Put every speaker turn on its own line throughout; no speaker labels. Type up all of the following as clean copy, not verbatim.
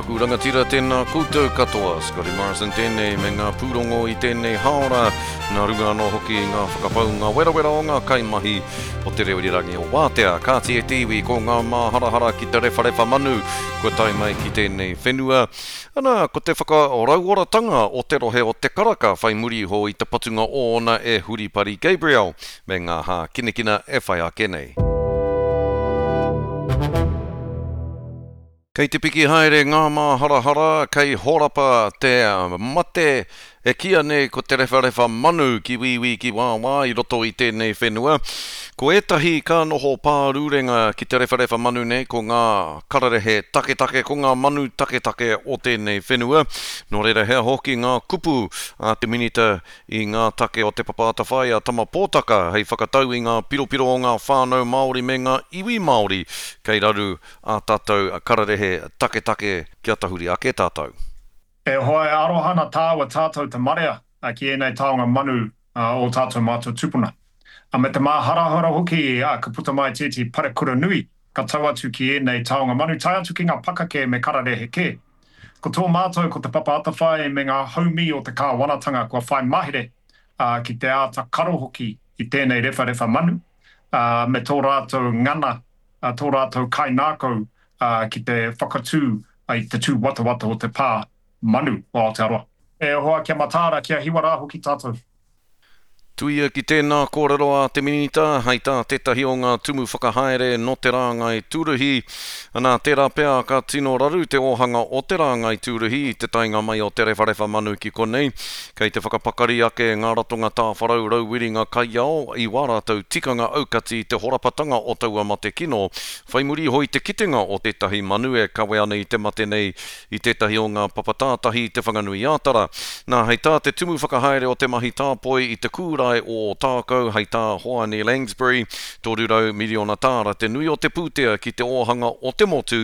aku rangatira, tēnā koutou katoa. Scotty Morrison tēnei me ngā pūrongo i tēnei hāora, nā runga anō hoki i ngā whakapaunga werawera o ngā kaimahi o te reo irirangi o Wātea. Kāti e te iwi, ko ngā māharahara ki te rewharewha manu kua tae mai ki tēnei whenua. Ana, ko te whakarauoratanga o te rohe o Te Karaka whai muri iho i te patunga ōna e Huripari Gabriel me ngā hākinakina e whai ake nei. Kei te piki haere ngā māharahara, kei horapa te mate e kīia nei ko te rewharewha manu ki wīwī ki wāwā i roto i tēnei whenua. Ko ētahi ka noho pārurenga ki te rewharewha manu nei ko ngā kararehe taketake, ko ngā manu taketake o tēnei whenua. Nō reira he aha hoki ngā kupu a te Minita i ngā take o Te Papa Atawhai a Tama Pōtaka hei whakatau i ngā piropiro o ngā whānau Māori me ngā iwi Māori kei raru ā tātou kararehe taketake kia tahuri ake tātou.
E hoa, e aroha ana tāua tātou te marea ki ēnei taonga manu ō tātou mātua tupuna. Me te māharahara hoki ka puta mai tētehi parekura nui ka tau atu ki ēnei taonga manu tae atu ki ngā pakake me kararehe kē. Ko tō mātou ko Te Papa Atawhai me ngā haumī o te kāwanatanga kua whai mahere ki te āta karo hoki i tēnei rewharewha manu me tō rātou ngana tō rātou kaingākau ki te whakatū i te tūwatawata o te pā manu o Aotearoa. E hoa, kia mataara, kia hiwa rā hoki tātou.
Tuia ki tēnā kōrero a te Minita, hei tā tētahi o ngā tumu whakahaere nō te rāngai tūruhi, ana, tērā pea ka tino raru te ōhanga o te rāngai tūruhi i te taenga mai o te rewharewha manu ki konei. Kei te whakapakari ake ngā ratonga tāwharau rauwiringa kaiao i wā rātou tikanga aukati i te horapatanga o taua mate kino, whai muri iho i te kitenga o tētahi manu e kawe ana i te mate nei i tētahi o ngā papa tātahi i Te Whanganui-ā-Tara. Nā, hei tā te tumu whakahaere o te mahi tāpoi i te kūrae o Ōtākou, hei tā Hoani Langsbury, 300 miriona tāra te nui o te pūtea ki te ōhanga o te motu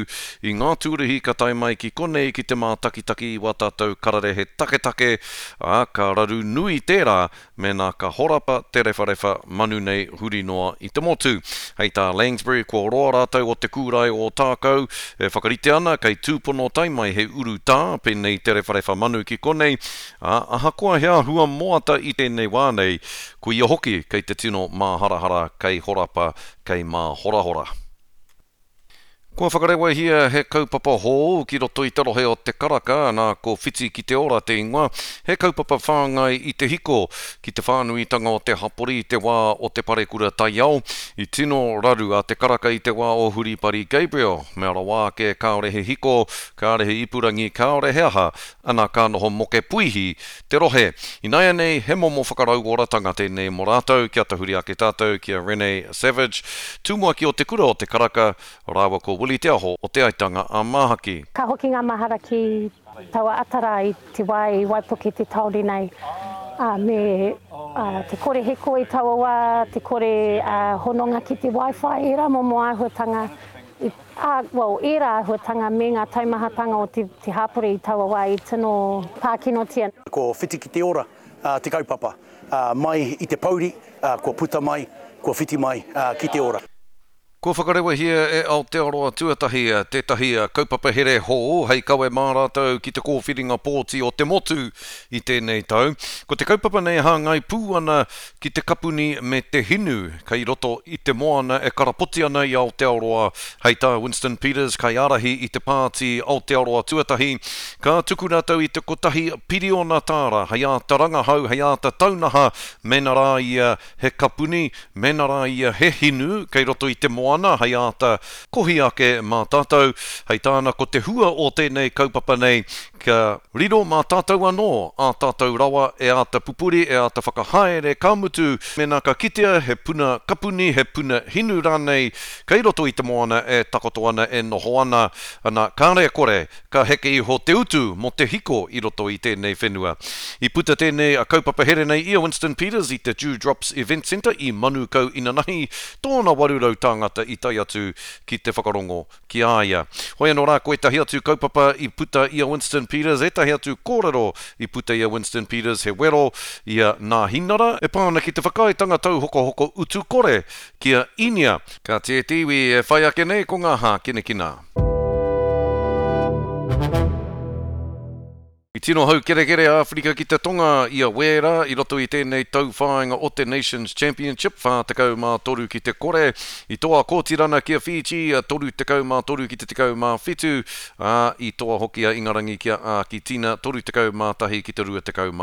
i ngā tūruhi ka tae mai ki konei ki te mātakitaki i wā tātou kararehe taketake, ā, ka raru nui tērā mēnā ka horapa te rewharewha manu nei huri noa i te motu. Hei tā Langsbury, kua roa rātou o te kūrae o Ōtākou e whakarite ana kei tūpono tae mai he urutā pēnei i te rewharewha manu ki konei, ā, ahakoa he āhua moata i tēnei wā nei, koia hoki kei te tino māharahara kei horapa, kei māhorahora. Kua whakarewahia he kaupapa hou ki roto i te rohe o Te Karaka, nā ko Whiti ki te Ora te ingoa, he kaupapa whāngai i te hiko ki te whānuitanga o te hapori i te wā o te parekura taiao. I tino raru a Te Karaka i te wā o Huripari Gabriel, mea rawa ake kāore he hiko, kāore he ipurangi, kāore he aha, ana ka noho moke puihi te rohe. Ināianei, he momo whakarauoratanga tēnei mō rātou, kia tahuri ake tātou ki a Rene Savage, tumuaki o Te Kura o Te Karaka, rāua ko Willie Te Aho o Te Aitanga a Māhaki.
Ka hoki ngā mahara ki taua ata rā i te wā i waipuke te tāone nei, ā, me te kore hiko i taua wā, te kore hononga ki te wifi, ērā momo āhuatanga i Ā, well, ērā āhuatanga me ngā taumahatanga o te, te hāpori i taua wā i tino pākinotia.
Ko Whiti ki te Ora te kaupapa. Mai i te pouri, kua puta mai, kua whiti mai ki te ora.
Kua whakarewahia e Aotearoa Tuatahi tētahi kaupapa here hou hei kawe mā rātou ki te kōwhiringa pōti o te motu i tēnei tau. Ko te kaupapa nei hāngai pū ana ki te kapuni me te hinu kei roto i te moana e karapoti ana i Aotearoa. Hei tā Winston Peters, kaiārahi i te pāti Aotearoa Tuatahi, ka tuku rātou i te kotahi piriona tāra hei āta rangahau, hei āta taunaha mēnā rā ia he kapuni, mēnā rā ia he hinu kei roto i te moana hei āta kohi ake mā tātou. Hei tāna ko te hua o tēnei kaupapa nei Kia riro mā tātou anō ā tātou rawa e āta pupuri, e āta whakahaere, ka mutu, mēnā ka kitea he puna kapuni, he puna hinu rānei kei roto i te moana e takoto ana, e noho ana, ana, kāre e kore, ka heke iho te utu mō te hiko i roto i tēnei whenua. I puta tēnei kaupapa here nei i a Winston Peters i te Dew Drops Event Centre i Manukau inanahi, tōna 800 tāngata i tae atu ki te whakarongo ki a ia. Hoi anō rā, ko ētahi atu kaupapa i puta i a Winston Peters, ētahi atu kōrero i puta i a Winston Peters, he wero i a Nāhinara e pā ana ki te whakaaetanga tauhokohoko utu kore ki a Īnia. Ka tiē te iwi e whai ake nei ko ngā hākinakina. tino haukerekere a Āwherika ki te Tonga i a Wēra i roto i tēnei tauwhāinga o te Nations Championship, 43 ki te kore. I toa a Kōtirana ki a Fiji, 33 ki te 17, ā, i toa hoki a Ingarangi ki a Ākitina, 31 ki te 24.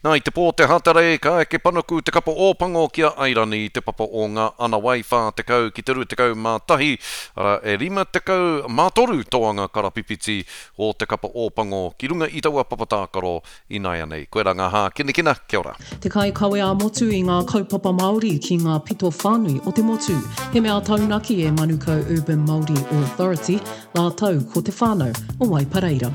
Nā, i te pō o te Hatarei, ka eke panuku te kapa Ōpango ki a Airani i te papa o ngā Anawai, 40 ki te 21, arā, e 53 toanga karapipiti o te kapa Ōpango ki runga i taua papa tākaro ināianei. Koirā ngā hākinakina, kia ora.
Te kaikawe ā-motu i ngā kaupapa Māori ki ngā pito whānui o te motu. He mea taunaki e Manukau Urban Māori Authority rātou ko te whānau o Waipareira.